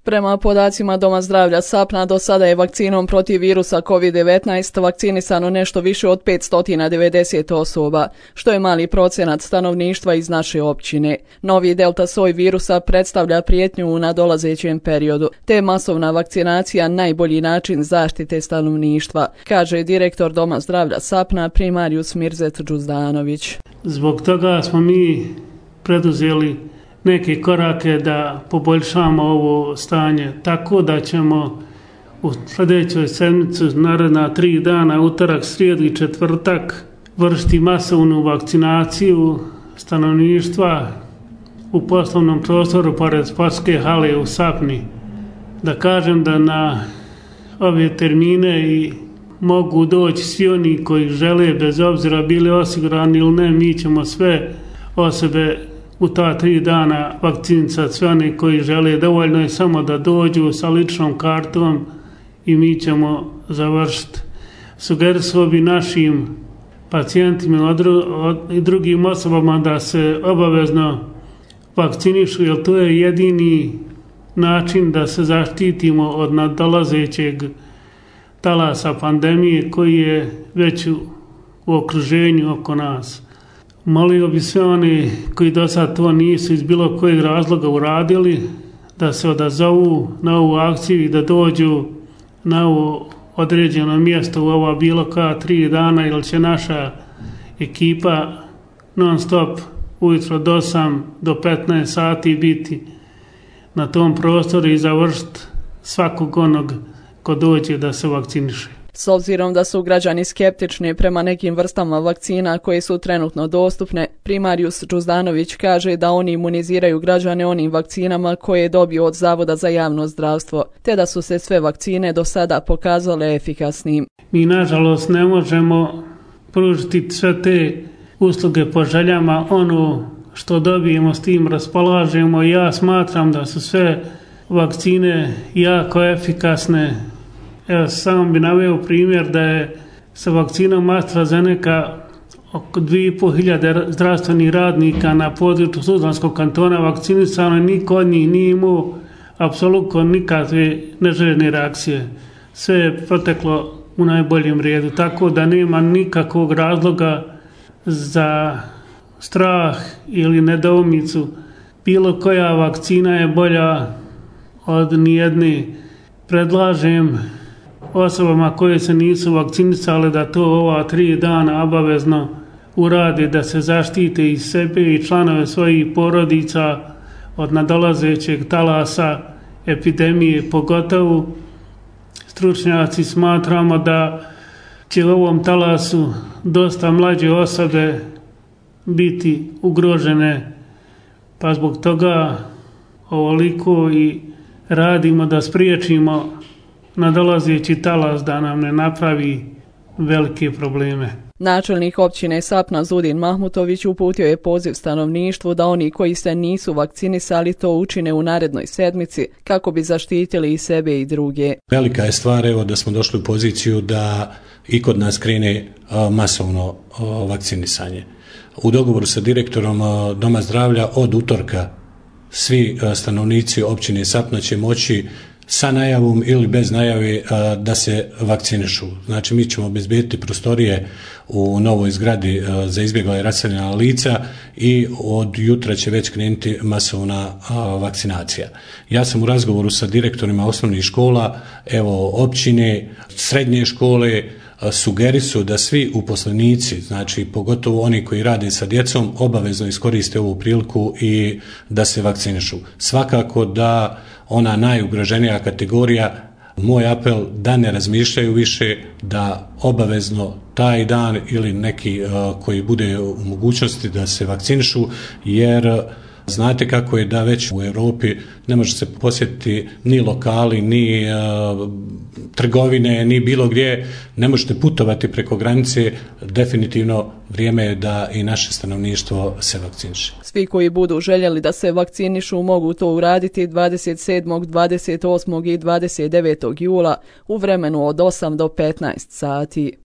Prema podacima Doma zdravlja Sapna, do sada je vakcinom protiv virusa COVID-19 vakcinisano nešto više od 590 osoba, što je mali procenat stanovništva iz naše općine. Novi delta soj virusa predstavlja prijetnju u nadolazećem periodu, te je masovna vakcinacija najbolji način zaštite stanovništva, kaže direktor Doma zdravlja Sapna primarijus Mirzet Džuzdanović. Zbog toga smo mi preduzeli neke korake da poboljšamo ovo stanje, tako da ćemo u sljedećoj sedmici, naredna 3 dana, utorak, srijedu i četvrtak, vršiti masovnu vakcinaciju stanovništva u poslovnom prostoru pored sportske hale u Sapni. Da kažem da na ove termine i mogu doći svi oni koji žele, bez obzira bili osigurani ili ne, mi ćemo sve osobe u ta 3 dana vakcinisati, sve oni koji žele. Dovoljno je samo da dođu sa ličnom kartom i mi ćemo završiti. Sugerisao bi našim pacijentima i drugim osobama da se obavezno vakcinišu, jer to je jedini način da se zaštitimo od nadolazećeg talasa pandemije koji je već u okruženju oko nas. Molio bi sve oni koji do sad to nisu iz bilo kojeg razloga uradili da se odazovu na ovu akciju i da dođu na ovo određeno mjesto u ova bilo koja 3 dana, jer će naša ekipa non stop ujutro do 8 do 15 sati biti na tom prostoru i završiti svakog onog ko dođe da se vakciniše. S obzirom da su građani skeptični prema nekim vrstama vakcina koje su trenutno dostupne, primarijus Džuzdanović kaže da oni imuniziraju građane onim vakcinama koje je dobio od Zavoda za javno zdravstvo, te da su se sve vakcine do sada pokazale efikasnim. Mi nažalost ne možemo pružiti sve te usluge po željama, ono što dobijemo s tim raspolažemo. Ja smatram da su sve vakcine jako efikasne. Evo, samo bi naveo primjer da je sa vakcinom AstraZeneca oko 2.500 zdravstvenih radnika na području Tuzlanskog kantona vakcinisano i niko od njih nije imao apsolutno nikakve neželjene reakcije. Sve je proteklo u najboljem redu, tako da nema nikakvog razloga za strah ili nedoumicu. Bilo koja vakcina je bolja od nijedne. Predlažem osobama koje se nisu vakcinisale da to ova 3 dana obavezno urade, da se zaštite i sebe i članove svojih porodica od nadolazećeg talasa epidemije. Pogotovo stručnjaci smatramo da će u ovom talasu dosta mlađe osobe biti ugrožene, pa zbog toga ovoliko i radimo da spriječimo nadolazeći talas da nam ne napravi velike probleme. Načelnik općine Sapna Zudin Mahmutović uputio je poziv stanovništvu da oni koji se nisu vakcinisali to učine u narednoj sedmici kako bi zaštitili i sebe i druge. Velika je stvar evo da smo došli u poziciju da i kod nas krene masovno vakcinisanje. U dogovoru sa direktorom Doma zdravlja od utorka svi stanovnici općine Sapna će moći sa najavom ili bez najave da se vakcinišu. Znači mi ćemo obezbediti prostorije u novoj zgradi za izbjegla i raseljena lica i od jutra će već krenuti masovna vakcinacija. Ja sam u razgovoru sa direktorima osnovnih škola, evo općine, srednje škole, sugerisu da svi uposlenici, znači pogotovo oni koji rade sa djecom, obavezno iskoriste ovu priliku i da se vakcinišu. Svakako da ona najugroženija kategorija, moj apel da ne razmišljaju više, da obavezno taj dan ili neki koji bude u mogućnosti da se vakcinišu, jer znate kako je da već u Europi ne može se posjetiti ni lokali, ni trgovine, ni bilo gdje, ne možete putovati preko granice, definitivno vrijeme je da i naše stanovništvo se vakciniše. Svi koji budu željeli da se vakcinišu mogu to uraditi 27., 28. i 29. jula u vremenu od 8 do 15 sati.